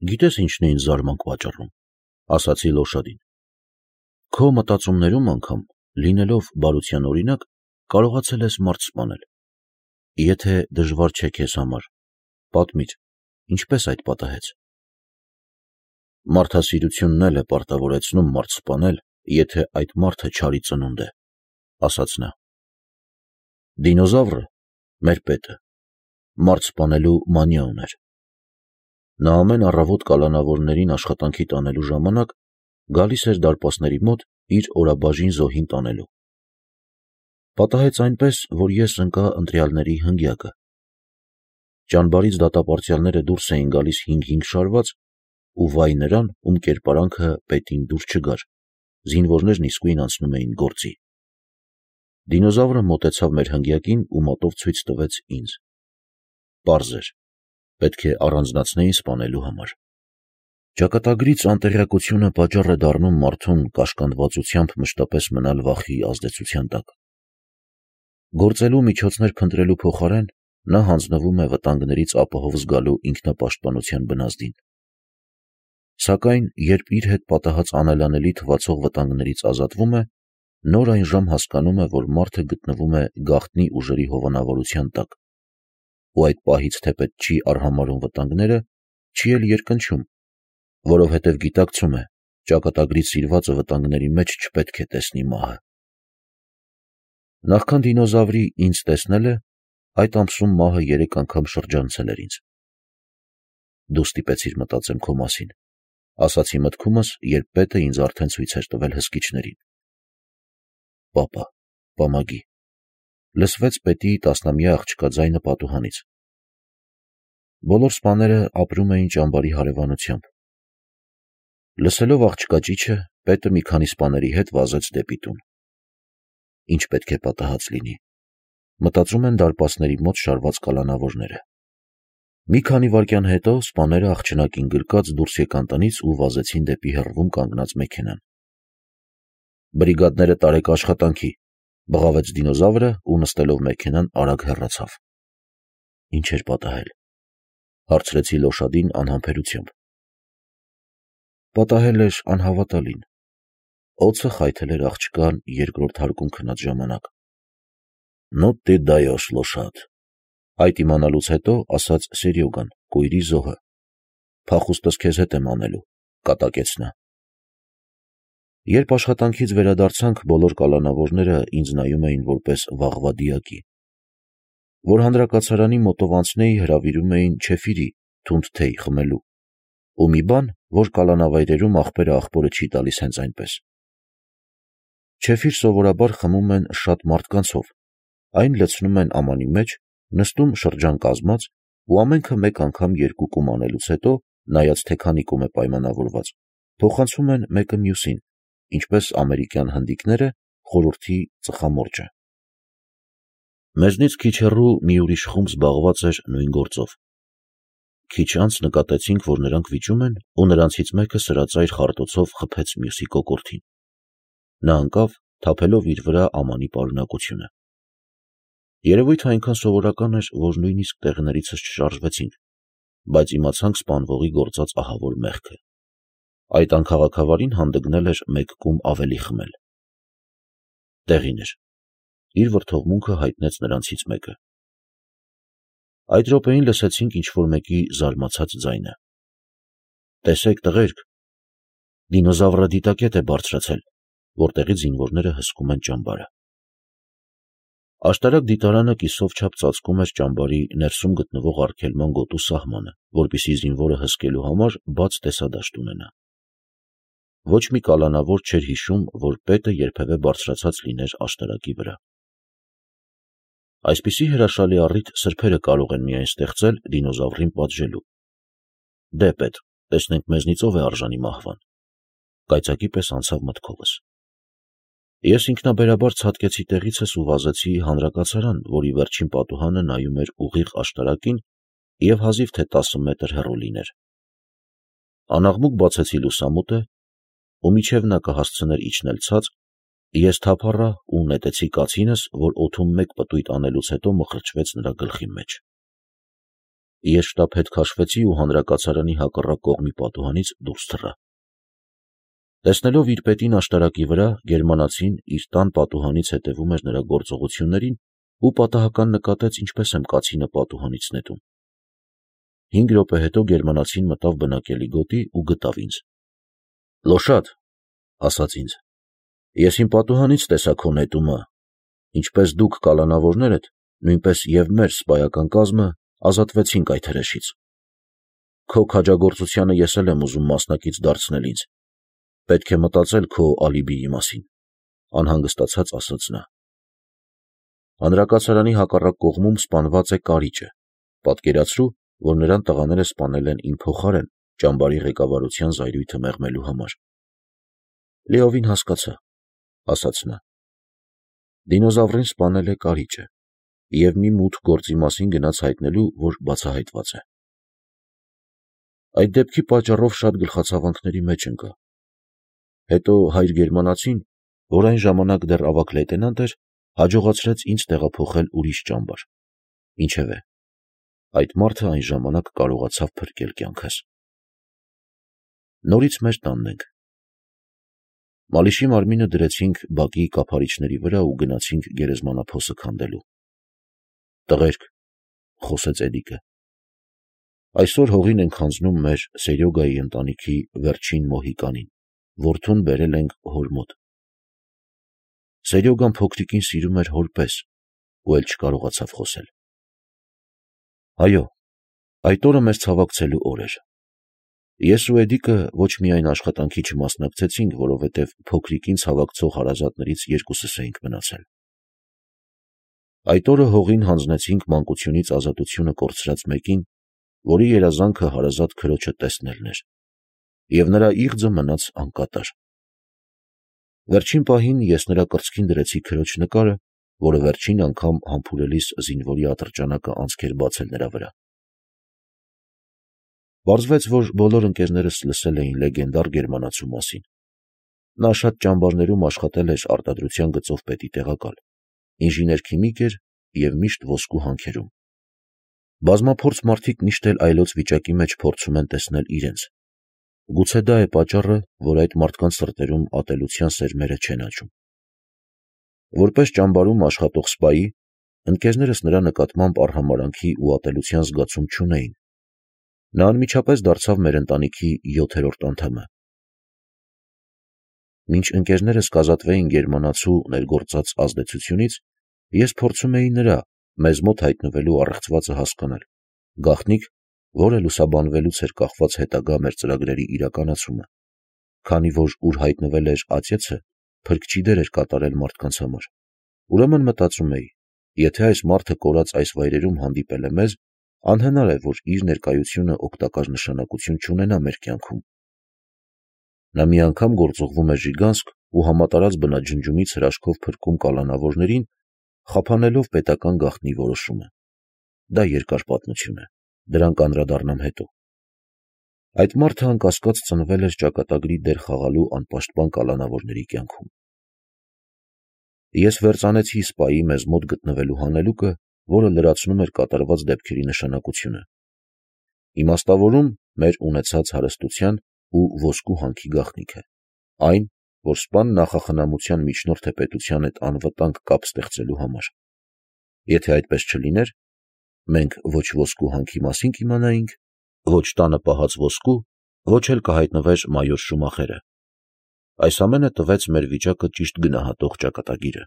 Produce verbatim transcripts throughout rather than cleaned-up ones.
Գիտես ինչն է ինձ զարմանք պատճառում, ասացի Լոշադին։ Քո մտածումներում անգամ, լինելով բարության օրինակ, կարողացել ես մարդ սպանել։ Եթե դժվար չէ քեզ համար, պատմիր, ինչպես այդ պատահեց։ Մարդասիրությունն էլ է պարտավորեցնում մարդ սպանել, եթե այդ մարդը չարի ծնունդ է, ասաց նա։ Դինոզավրը, մեր պետը, մարդ սպանելու մանիա ուներ։ Նա ամեն առավոտ կալանավորներին աշխատանքի տանելու ժամանակ գալիս էր դարպասների մոտ իր օրաբաժին զոհին տանելու։ Պատահեց այնպես, որ ես ընկա ընտրյալների հնգյակը։ Ճանբարից դատապարտյալները դուրս էին գալիս հինգ-հինգ շարված, ու վայ նրան, ում կերպարանքը պետին դուր չգար, զինվորներն իսկույն անցնում էին գործի։ Դինոզավրը մոտեցավ մեր հնգյակին ու մոտով ցույց տվեց ինձ։ Պարզ էր, պետք է առանձնացնեին սպանելու համար։ Ճակատագրից անտեղյակությունը պատճառ է դառնում մարդուն կաշկանդվածությամբ մշտապես մնալ վախի ազդեցության տակ։ Գործելու միջոցներ փնտրելու փոխարեն նա հանձնվում է վտանգներից ապահով զգալու ինքնապաշտպանության բնազդին։ Սակայն երբ իր հետ պատահած անելանելի թվացող վտանգներից ազատվում է, նոր այն ժամ հասկանում է, որ մարդը գտնվում է գաղտնի ուժերի հովանավորության տակ, ու այդ պահից թեպետ չի արհամարհում վտանգները, չի էլ երկնչում, որովհետև գիտակցում է, ճակատագրից սիրվածը վտանգների մեջ չպետք է տեսնի մահը։ Նախքան դինոզավրի ինձ տեսնելը, այդ ամսում մահը երեք անգամ շրջանցել էր ինձ։ Դու ստիպեցիր մտածեմ քո մասին, ասացի մտքումս, երբ պետը ինձ արդեն ցույց էր տվել հսկիչներին։ Պապա, պամագի, լսվեց պետի տասնամյա աղջկա ձայնը պատուհանից։ Բոլոր սպաները ապրում էին ճամբարի հարևանությամբ։ Լսելով աղջկա ճիչը, պետը մի քանի սպաների հետ վազեց դեպի տուն։ Ինչ պետք է պատահած լինի, մտածում են դարպասների մոտ շարված կալանավորները։ Մի քանի վայրկյան հետո սպաները աղջնակին գրկած դուրս եկան տնից ու վազեցին դեպի հեռվում կանգնած մեքենան։ Բրիգադները տարեք աշխատանքի, բղավեց դինոզավրը ու նստելով մեքենան արագ հեռացավ։ Ինչ էր պատահել, հարցրեցի Լոշադին անհամբերությամբ։ Պատահել էր անհավատալին։ Օձը խայթել էր աղջկան երկրորդ հարկում քնած ժամանակ։ Ну ты даешь, лошад, այդ իմանալուց հետո ասաց Սերյոգան, կույրի զոհը։ Փախուստս քեզ հետ եմ անելու, կատակեց նա։ Երբ աշխատանքից վերադարձանք, բոլոր կալանավորները ինձ նայում էին որպես վաղվա դիակի։ Որ հանրակացարանի մոտով անցնեի, հրավիրում էին չեֆիրի, թունդ թեյ խմելու, ու մի բան, որ կալանավայրերում աղբերը աղբորը չի տալիս հենց այնպես։ Չեֆիր սովորաբար խմում են շատ մարդկանցով, այն լցնում են ամանի մեջ, նստում շրջան կազմած, ու ամենքը մեկ անգամ երկու կում անելուց հետո, նայած թե քանի կում է պայմանավորված, փոխանցում են մեկը մյուսին, ինչպես ամերիկյան հնդիկները խորհրդի ծխամորճը։ Մեզնից քիչ հեռու մի ուրիշ խումբ զբաղված էր նույն գործով։ Քիչ անց նկատեցինք, որ նրանք վիճում են, ու նրանցից մեկը սրածայր խարտոցով խփեց մյուսի կոկորդին։ Նա ընկավ, թափելով իր վրա ամանի պարունակությունը։ Երևույթը այնքան սովորական էր, որ նույնիսկ տեղներիցս չշարժվեցինք, բայց իմացանք սպանվողի գործած ահավոր մեղքը։ Այդ անքաղաքավարին հանդգնել էր մեկ կում ավելի խմել։ Տեղին էր։ Իր վրդովմունքը հայտնեց նրանցից մեկը։ Այդ րոպեին լսեցինք ինչ-որ մեկի զարմացած ձայնը։ Տեսեք, տղերք, դինոզավրը դիտակետ է բարձրացել, որտեղից զինվորները հսկում են ճամբարը։ Աշտարակ դիտարանը կիսով չափ ծածկում էր ճամբարի ներսում գտնվող արգելման գոտու սահմանը, որպեսզի զինվորը հսկելու համար բաց տեսադաշտ ունենա։ Ոչ մի կալանավոր չէր հիշում, որ պետը երբևէ բարձրացած լիներ աշտարակի վրա։ Այսպիսի հրաշալի առիթ սրբերը կարող են միայն ստեղծել դինոզավրին պատժելու։ Դե պետ, տեսնենք մեզնից ով է արժանի մահվան։ Կայծակի պես անցավ մտքովս։ Ես ինքնաբերաբար ցատկեցի տեղիցս ու վազեցի հանրակացարան, որի վերջին պատուհանը նայում էր ուղիղ աշտարակին և հազիվ թե տասը մետր հեռու լիներ։ Անաղմուկ բացեցի լուսամուտը, ու մինչև նա կհասցներ իջնել ցած, ես թափառա ու նետեցի կացինս, որ օդում մեկ պտույտ անելուց հետո մխրճվեց նրա գլխի մեջ։ Ես շտապ հետ քաշվեցի ու հանրակացարանի հակառակ կողմի պատուհանից դուրս թռա։ Տեսնելով իր պետին աշտարակի վրա, գերմանացին իր տան պատուհանից հետևում էր նրա գործողություններին ու պատահական նկատեց, ինչպես եմ կացինը պատուհանից նետում։ Հինգ րոպե հետո գերմանացին մտավ բնակելի գոտի ու գտավ ինձ։ «Լոշադ», ասաց ինձ, «ես իմ պատուհանից տեսա քո նետումը, ինչպես դուք կալանավորներդ, նույնպես և մեր սպայական կազմը ազատվեցինք այդ հրեշից։ Քո քաջագործությանը ես էլ եմ ուզում մասնակից դարձնել ինձ, պետք է մտածել քո ալիբիի մասին», անհանգստացած ասաց նա։ Հանրակացարանի հակառակ կողմում սպանված է Կարիճը, պատկերացրու, որ նրան տղաները սպանել են իմ փոխարեն ճամբարի ղեկավարության զայրույթը մեղմելու համար։ Լիովին հասկացա, ասաց նա։ Դինոզավրին սպանել է Կարիճը և մի մութ գործի մասին գնաց հայտնելու, որ բացահայտված է։ Այդ դեպքի պատճառով շատ գլխացավանքների մեջ ընկա։ Հետո հայր գերմանացին, որ այն ժամանակ դեռ ավագ լեյտենանտ էր, հաջողացրեց ինձ տեղափոխել ուրիշ ճամբար։ Ինչևէ, այդ մարդը այն ժամանակ կարողացավ փրկել կյանքս։ Նորից մեր տանն ենք։ Մալիշի մարմինը դրեցինք բակի կափարիչների վրա ու գնացինք գերեզմանափոսը քանդելու։ Տղերք, խոսեց Էդիկը, այսօր հողին ենք հանձնում մեր Սերյոգայի ընտանիքի վերջին մոհիկանին, որդուն բերել ենք հոր մոտ։ Սերյոգան փոքրիկին սիրում էր հոր պես ու էլ չկարողացավ խոսել։ Այո, այդ օրը մեզ ցավակցելու օր էր։ Ես ու Էդիկը ոչ միայն աշխատանքի չմասնակցեցինք, որովհետև փոքրիկին ցավակցող հարազատներից երկուսս էինք մնացել։ Այդ օրը հողին հանձնեցինք մանկությունից ազատությունը կորցրած մեկին, որի երազանքը հարազատ քրոջը տեսնելն էր, և նրա իղձը մնաց անկատար։ Վերջին պահին ես նրա կրծքին դրեցի քրոջ նկարը, որը վերջին անգամ համբուրելիս զինվորի ատրճանակը անցք էր բացել նրա վրա։ Պարզվեց, որ բոլոր ընկերներս լսել էին լեգենդար գերմանացու մասին։ Նա շատ ճամբարներում աշխատել էր արտադրության գծով պետի տեղակալ, ինժեներ-քիմիկ էր և միշտ ոսկու հանքերում։ Բազմափորձ մարդիկ միշտ էլ այլոց վիճակի մեջ փորձում են տեսնել իրենց։ Գուցե դա է պատճառը, որ այդ մարդկանց սրտերում ատելության սերմերը չեն աճում։ Որպես ճամբարում աշխատող սպայի, ընկերներս նրա նկատմամբ արհամարհանքի ու ատելության զգացում չունեին։ Նա անմիջապես դարձավ մեր ընտանիքի յոթերորդ անդամը։ Մինչ ընկերներս կազատվեին գերմանացու ներգործած ազդեցությունից, ես փորձում էի նրա մեզ մոտ հայտնվելու առեղծվածը հասկանալ, գաղտնիք, որը լուսաբանվելուց էր կախված հետագա մեր ծրագրերի իրականացումը, քանի որ ուր հայտնվել էր ածեծը, փրկչի դեր էր կատարել մարդկանց համար։ Ուրեմն մտածում էի, եթե այս մարդը կորած այս վայրերում հանդիպել է մեզ, անհնար է, որ իր ներկայությունը օգտակար նշանակություն չունենա մեր կյանքում։ Նա մի անգամ գործուղվում է Ժիգանսկ ու համատարած բնաջնջումից հրաշքով փրկում կալանավորներին, խափանելով պետական գաղտնի որոշումը։ Դա երկար պատմություն է, դրան կանդրադառնամ հետո։ Այդ մարդը անկասկած ծնվել էր ճակատագրի դեր խաղալու անպաշտպան կալանավորների կյանքում։ Ես վերծանեցի սպայի մեզ մոտ գտնվելու հանելուկը, որը լրացնում էր կատարված դեպքերի նշանակությունը։ Իմաստավորում մեր ունեցած հարստության ու ոսկու հանքի գաղտնիքը, այն, որ սպան նախախնամության միջնորդ է պետության հետ անվտանգ կապ ստեղծելու համար։ Եթե այդպես չլիներ, մենք ոչ ոսկու հանքի մասին կիմանայինք, ոչ տանը պահած ոսկու, ոչ էլ կհայտնվեր մայոր Շումախերը։ Այս ամենը տվեց մեր վիճակը ճիշտ գնահատող ճակատագիրը։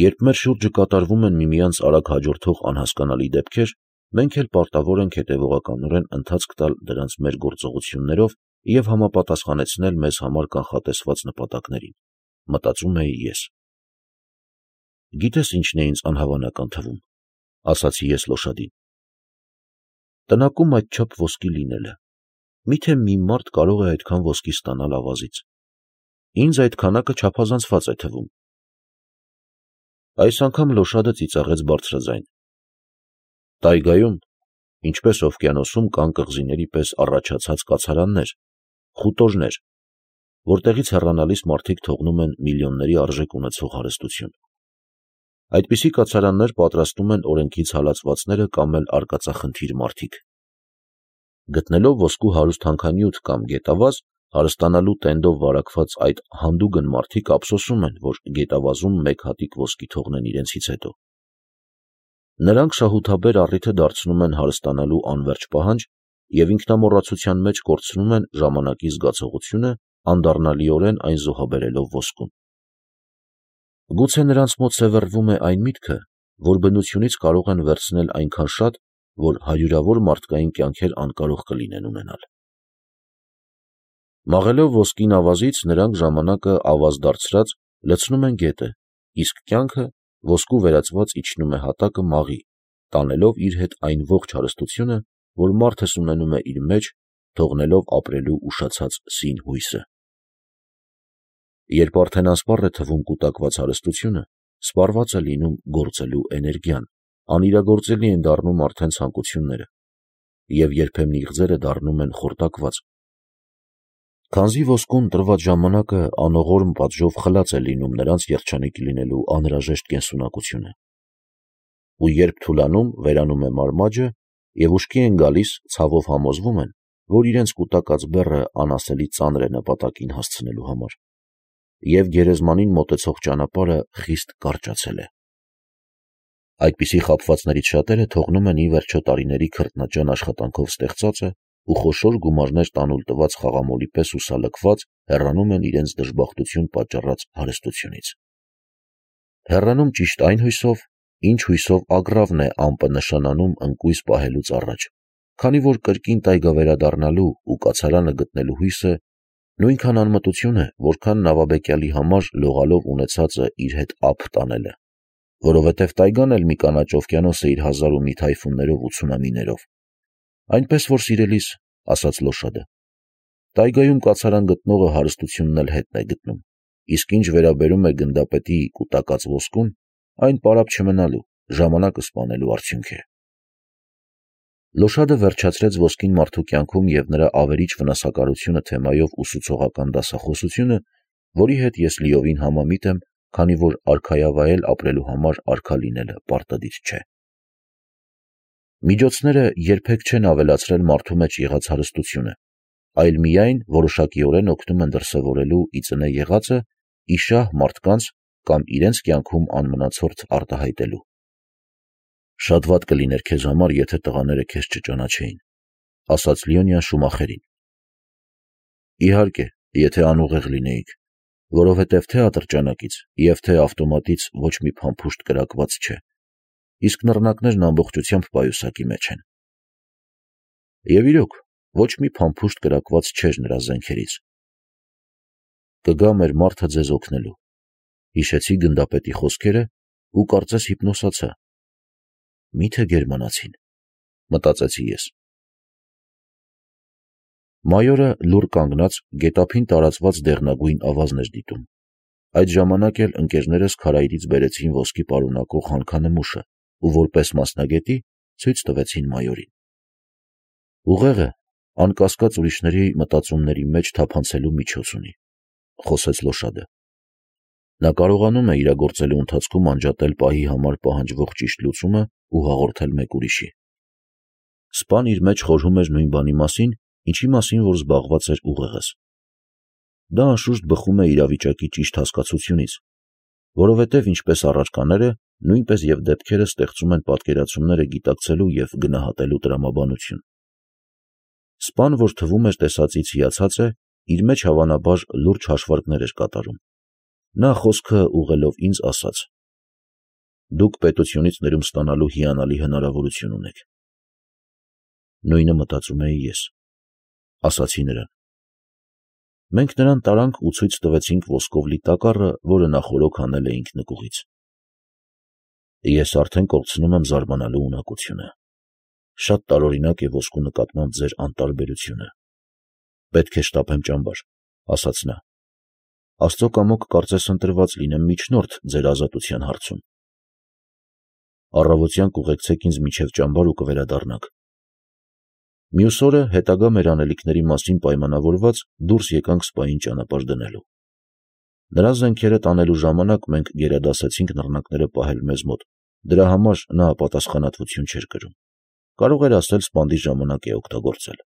Երբ մեր շուրջը կատարվում են միմյանց արագ հաջորդող անհասկանալի դեպքեր, մենք էլ պարտավոր ենք հետևողականորեն ընթացք տալ դրանց մեր գործողություններով և համապատասխանեցնել մեզ համար կանխատեսված նպատակներին, մտածում էի ես։ Գիտես ինչն է ինձ անհավանական թվում, ասացի ես Լոշադին։ Տնակում այդչափ ոսկի լինելը, միթե մի մարդ կարող է այդքան ոսկի ստանալ ավազից։ Ինձ այդ քանակը չափազանցված է թվում։ Այս անգամ Լոշադը ծիծաղեց բարձրաձայն։ Տայգայում, ինչպես օվկիանոսում, կան կղզիների պես առաջացած կացարաններ, խուտորներ, որտեղից հեռանալիս մարդիկ թողնում են միլիոնների արժեք ունեցող հարստություն։ Այդպիսի կացարաններ պատրաստում են օրենքից հալածվածները կամ էլ արկածախնդիր մարդիկ։ Գտնելով ոսկու հարուստ հանքանյութ կամ գետավազ, հարստանալու տենդով վարակված այդ հանդուգն մարդիկ ափսոսում են, որ գետավազում մեկ հատիկ ոսկի թողնեն իրենցից հետո։ Նրանք շահութաբեր առիթը դարձնում են հարստանալու անվերջ պահանջ և ինքնամոռացության մեջ կորցնում են ժամանակի զգացողությունը, անդառնալիորեն այն զոհաբերելով ոսկուն։ Գուցե նրանց մոտ սևեռվում է այն միտքը, որ բնությունից կարող են վերցնել այնքան շատ, որ հարյուրավոր մարդկային կյանքեր անկարող կլինեն ունենալ։ Մաղելով ոսկին ավազից, նրանք ժամանակը ավազ դարձրած լցնում են գետը, իսկ կյանքը ոսկու վերածված իջնում է հատակը մաղի, տանելով իր հետ այն ողջ հարստությունը, որ մարդս ունենում է իր մեջ, թողնելով ապրելու ուշացած սին հույսը։ Երբ արդեն ասպառ է թվում կուտակված հարստությունը, սպառված է լինում գործելու էներգիան, անիրագործելի են դառնում արդեն ցանկությունները, և երբեմն իղձերը դառնում են խորտակված։ Քանզի ոսկուն տրված ժամանակը անողորմ պատժով խլած է լինում նրանց երջանիկ լինելու անհրաժեշտ կենսունակությունը։ Ու երբ թուլանում, վերանում է մարմաջը, և ուշքի են գալիս, ցավով համոզվում են, որ իրենց կուտակած բեռը անասելի ծանր է նպատակին հասցնելու համար, և գերեզմանին մոտեցող ճանապարհը խիստ կարճացել է։ Այդպիսի խաբվածներից շատերը թողնում են ի վերջո տարիների քրտնաջան աշխատանքով ստեղծածը ու խոշոր գումարներ տանուլ տված խաղամոլի պես հուսալքված հեռանում են իրենց դժբախտություն պատճառած հարստությունից։ Հեռանում ճիշտ այն հույսով, ինչ հույսով ագռավն է ամպը նշանանում ընկույզ պահելուց առաջ, քանի որ կրկին տայգա վերադառնալու ու կացարանը գտնելու հույսը նույնքան անմտություն է, որքան նավաբեկյալի համար լողալով ունեցածը իր հետ ափ տանելը, որովհետև տայգան էլ մի կանաչ օվկիանոս է իր հազար ու մի թայֆուններով ու ցունամիներով։ Այնպես որ, սիրելիս, ասաց Լոշադը, տայգայում կացարան գտնողը հարստությունն էլ հետն է գտնում, իսկ ինչ վերաբերում է գնդապետի կուտակած ոսկուն, այն պարապ չմնալու, ժամանակը սպանելու արդյունք է։ Լոշադը վերջացրեց ոսկին մարդու կյանքում և նրա ավերիչ վնասակարությունը թեմայով ուսուցողական դասախոսությունը, որի հետ ես լիովին համամիտ եմ, քանի որ արքայավայել ապրելու համար արքա լինելը պարտադիր չէ։ Միջոցները երբեք չեն ավելացրել մարդու մեջ եղած հարստությունը, այլ միայն որոշակիորեն օգնում են դրսևորելու ի ծնե եղածը ի շահ մարդկանց կամ իրենց կյանքում անմնացորդ արտահայտելու։ Շատ վատ կլիներ քեզ համար, եթե տղաները քեզ չճանաչեին, ասաց Լիոնյան Շումախերին։ Իհարկե, եթե անուղեղ լինեիք, որովհետև թե ատրճանակից և թե ավտոմատից ոչ մի փամփուշտ կրակված չէ, իսկ նռնակներն ամբողջությամբ պայուսակի մեջ են։ Եվ իրոք, ոչ մի փամփուշտ կրակված չէր նրա զենքերից։ Կգա մեր մարդը ձեզ օգնելու։ Հիշեցի գնդապետի խոսքերը ու կարծես հիպնոսացա։ Մի՞թե գերմանացին, մտածեցի ես։ Մայորը լուռ կանգնած գետափին տարածված դեղնագույն ավազն էր դիտում։ Այդ ժամանակ էլ ընկերներս քարայրից բերեցին ոսկի պարունակող հանքանմուշը ու որպես մասնագետի ցույց տվեցին մայորին։ Ուղեղը, անկասկած, ուրիշների մտածումների մեջ թափանցելու միջոց ունի, խոսեց Լոշադը։ Նա կարողանում է իրագործելու ընթացքում անջատել պահի համար պահանջվող ճիշտ լուծումը ու հաղորդել մեկ ուրիշի։ Սպան իր մեջ խորհում էր նույն բանի մասին, ինչի մասին որ զբաղված էր ուղեղս։ Դա անշուշտ բխում է իրավիճակի ճիշտ հասկացությունից, որովհետև ինչպես առարկաները, նույնպես և դեպքերը ստեղծում են պատկերացումները գիտակցելու և գնահատելու տրամաբանություն։ Սպան, որ թվում էր տեսածից հիացած է, իր մեջ հավանաբար լուրջ հաշվարկներ էր կատարում։ Նա խոսքը ուղղելով ինձ ասաց. «Դուք պետությունից ներում ստանալու հիանալի հնարավորություն ունեք»։ Նույնը մտածում էի ես, ասացի նրան։ Մենք նրան տարանք ու ցույց տվեցինք ոսկով լի տակառը, որը նախօրոք հանել էինք նկուղից։ Ես արդեն կորցնում եմ զարմանալու ունակությունը։ Շատ տարօրինակ է ոսկու նկատմամբ ձեր անտարբերությունը։ Պետք է շտապեմ ճամբար, ասաց նա։ Աստծո կամոք կարծես ընտրված լինեմ միջնորդ ձեր ազատության հարցում։ Առավոտյան կուղեկցեք ինձ մինչև ճամբար ու կվերադառնանք։ Մյուս օրը հետագա մեր անելիքների մասին պայմանավորված դուրս եկանք սպային ճանապարհ դնելու։ Նրա զենքերը տանելու ժամանակ մենք գերադասեցինք նռնակները պահել մեզ մոտ, դրա համար նա պատասխանատվություն չէր կրում։ Կարող էր ասել սպանդի ժամանակ է օգտագործել։